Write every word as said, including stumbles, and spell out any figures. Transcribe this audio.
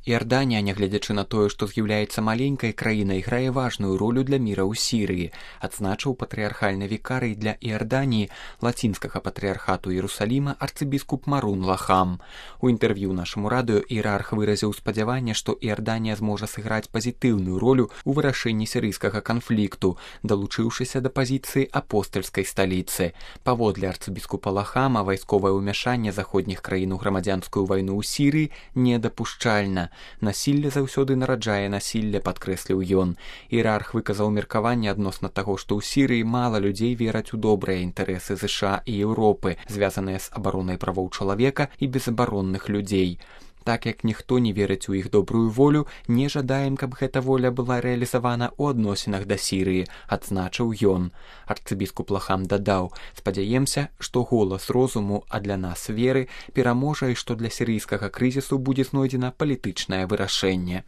Іорданія, нягледзячы на тое, што з'яўляецца маленькай краінай, грае важную ролю для міра ў Сірыі, адзначыў патрыархальны вікарый для Іорданіі лацінскага патрыархату Іерусаліма арцыбіскуп Марун Лахам. У інтэрв'ю нашаму радыё іерарх выразіў спадзяванне, што Іорданія зможа сыграць пазітыўную ролю ў вырашэнні сірыйскага канфлікту, далучыўшыся да пазіцыі апостальскай сталіцы. Паводле арцыбіскупа Лахама, вайсковае ўмяшанне заходніх краін у грамадзянскую вайну ў Сірыі недапушчальна. Насілле заўсёды нараджае насілле, падкрэсліў ён. Іерарх выказаў меркаванне адносна таго, што ў Сірыі мала людзей вераць у добрыя інтарэсы ЗША і Еўропы, звязаныя з абаронай правоў чалавека і безабаронных людзей. Так як ніхто не верыць у іх добрую волю, не жадаем, каб гэта воля была рэалізавана ў адносінах да Сірыі, адзначыў ён. Арцыбіскуп Лахам дадаў: спадзяемся, што голас розуму, а для нас веры, пераможа і што для сірыйскага крызісу будзе знойдзена палітычнае вырашэнне.